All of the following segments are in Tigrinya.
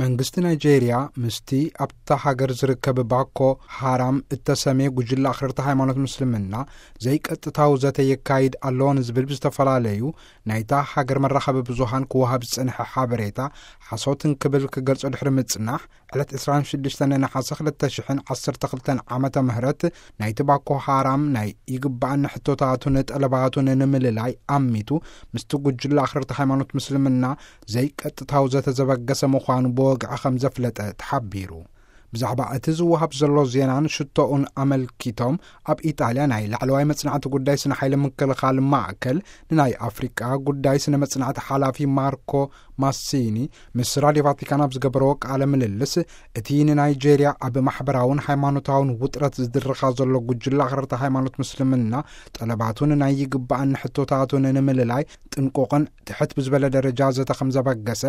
መንግስቲ ናይጄርያ ምስቲ ኣብታ ሃገር ዝርከብ ባኮ ሃራም እተሰምየ ጉጅለ ኣኽረርቲ ሃይማኖት ምስልምና ዘይቀጥታዊ ዘተ የካይድ ኣሎ ንዝብል ብዝተፈላለዩ ናይታ ሃገር መራኸቢ ብዙሃን ክወሃብ ዝጸንሐ ሓበሬታ ሓሶትን ክብል ክገልጾ ድሕሪ ምጽናሕ፣ ዕለት ዕስራን ሽዱሽተን ነሓሰ ክልተ ሽሕን ዓሰርተ ክልተን ዓመተ ምህረት ናይቲ ባኮ ሃራም ናይ ይግባኣኒ ሕቶታቱን ጠለባቱን ንምልላይ ኣሚቱ ምስቲ ጉጅለ ኣኽረርቲ ሃይማኖት ምስልምና ዘይቀጥታዊ ዘተ ዘበገሰ ምዃኑ ብወግዒ ከም ዘፍለጠ ተሓቢሩ። ብዛዕባ እቲ ዝወሃብ ዘሎ ዜናን ሽቶኡን ኣመልኪቶም ኣብ ኢጣልያ ናይ ላዕለዋይ መጽናዕቲ ጉዳይ ስነ ሓይሊ ምክልኻል ማእከል ንናይ ኣፍሪቃ ጉዳይ ስነ መጽናዕቲ ሓላፊ ማርኮ ማሲኒ ምስ ራድዮ ቫቲካን ኣብ ዝገበረዎ ቃለ ምልልስ፣ እቲ ንናይጄርያ ኣብ ማሕበራውን ሃይማኖታውን ውጥረት ዝድርኻ ዘሎ ጉጅለ ኣኽረርቲ ሃይማኖት ምስልምና ጠለባቱን ናይ ይግባኣኒ ሕቶታቱን ንምልላይ ጥንቁቕን ትሕት ብዝበለ ደረጃ ዘተ ከም ዘበገሰ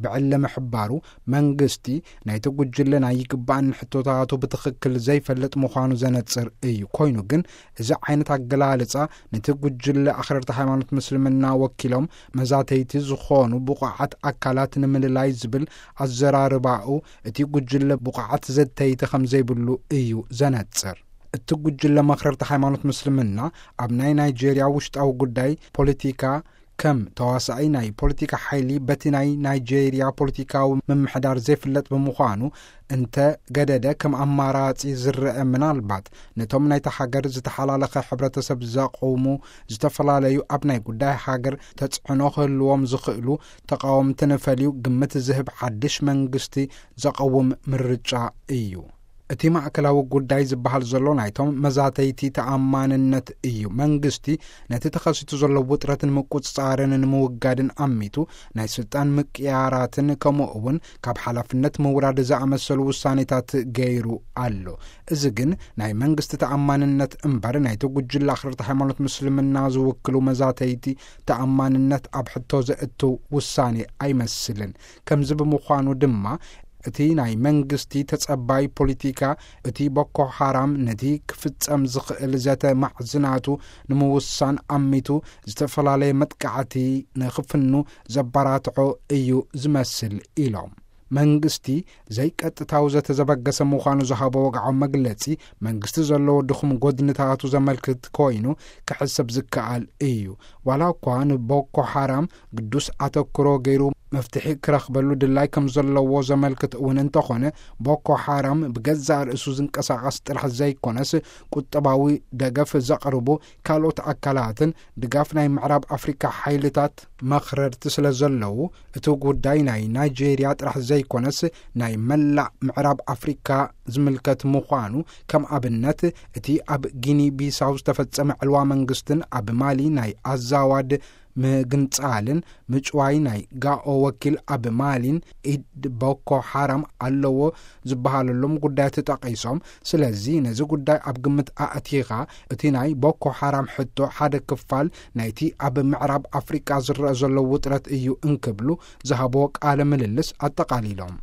ብዕሊ ምሕባሩ፣ መንግስቲ ናይቲ ጉጅለ ናይ ይግባኣኒ ሕቶታቱ ብትኽክል ዘይፈልጥ ምዃኑ ዘነጽር እዩ። ኮይኑ ግን እዚ ዓይነት ኣገላልጻ ነቲ ጉጅለ ኣኽረርቲ ሃይማኖት ምስልምና ወኪሎም መዛተይቲ ዝኾኑ ብቑዓት ኣካላት ንምልላይ ዝብል ኣዘራርባኡ፣ እቲ ጉጅለ ብቑዓት ዘተይቲ ከም ዘይብሉ እዩ ዘነጽር። እቲ ጉጅለ መኽረርቲ ሃይማኖት ምስልምና ኣብ ናይ ናይጄርያ ውሽጣዊ ጉዳይ ፖለቲካ ከም ተዋሳኢ ናይ ፖለቲካ ሓይሊ በቲ ናይ ናይጄርያ ፖለቲካዊ ምምሕዳር ዘይፍለጥ ብምዃኑ፣ እንተ ገደደ ከም ኣማራጺ ዝረአ፣ ምናልባት ነቶም ናይታ ሃገር ዝተሓላለኸ ሕብረተሰብ ዘቕውሙ ዝተፈላለዩ ኣብ ናይ ጉዳይ ሃገር ተጽዕኖ ክህልዎም ዝኽእሉ ተቓወምትን ፈልዩ ግምት ዝህብ ሓድሽ መንግስቲ ዘቐውም ምርጫ እዩ። እቲ ማእከላዊ ጉዳይ ዝበሃል ዘሎ ናይቶም መዛተይቲ ተኣማንነት እዩ። መንግስቲ ነቲ ተኸሲቱ ዘሎ ውጥረት ንምቁጽጻርን ንምውጋድን ኣሚቱ ናይ ስልጣን ምቅያራትን ከምኡ እውን ካብ ሓላፍነት ምውራድ ዝኣመሰሉ ውሳኔታት ገይሩ ኣሎ። እዚ ግን ናይ መንግስቲ ተኣማንነት እምበር ናይቲ ጉጅለ ኣኽረርቲ ሃይማኖት ምስልምና ዝውክሉ መዛተይቲ ተኣማንነት ኣብ ሕቶ ዘእቱ ውሳኔ ኣይመስልን። ከምዚ ብምዃኑ ድማ እቲ ናይ መንግስቲ ተጸባይ ፖለቲካ፣ እቲ ቦኮ ሓራም ነቲ ክፍጸም ዝኽእል ዘተ ማዕዝናቱ ንምውሳን ኣሚቱ ዝተፈላለየ መጥቃዕቲ ንኽፍኑ ዘባራትዖ እዩ ዝመስል ኢሎም። መንግስቲ ዘይቀጥታዊ ዘተ ዘበገሰ ምዃኑ ዝሃቦ ወግዓዊ መግለጺ፣ መንግስቲ ዘለዎ ድኹም ጎድንታቱ ዘመልክት ኮይኑ ክሕሰብ ዝከኣል እዩ። ዋላ እኳ ንቦኮ ሓራም ግዱስ ኣተክሮ ገይሩ መፍትሒ ክረኽበሉ ድላይ ከም ዘለዎ ዘመልክት እውን እንተኾነ፣ ቦኮ ሓራም ብገዛእ ርእሱ ዝንቀሳቐስ ጥራሕ ዘይኮነስ፣ ቁጠባዊ ደገፍ ዘቕርቡ ካልኦት ኣካላትን ድጋፍ ናይ ምዕራብ ኣፍሪካ ሓይልታት መኽረርቲ ስለ ዘለዉ፣ እቲ ጉዳይ ናይ ናይጄርያ ጥራሕ ዘይኮነስ፣ ናይ መላእ ምዕራብ ኣፍሪካ ዝምልከት ምዃኑ፣ ከም ኣብነት፣ እቲ ኣብ ጊኒ ቢሳው ዝተፈጸመ ዕልዋ መንግስትን ኣብ ማሊ ናይ ኣዛዋድ ምግንጻልን ምጭዋይ ናይ ጋኦ ወኪል ኣብ ማሊን ኢድ ቦኮ ሓራም ኣለዎ ዝበሃለሎም ጉዳያት ተጠቒሶም። ስለዚ ነዚ ጉዳይ ኣብ ግምት ኣእቲኻ፣ እቲ ናይ ቦኮ ሓራም ሕቶ ሓደ ክፋል ናይቲ ኣብ ምዕራብ ኣፍሪቃ ዝረአ ዘሎ ውጥረት እዩ እንክብሉ ዝሃብዎ ቃለ ምልልስ ኣጠቓሊሎም።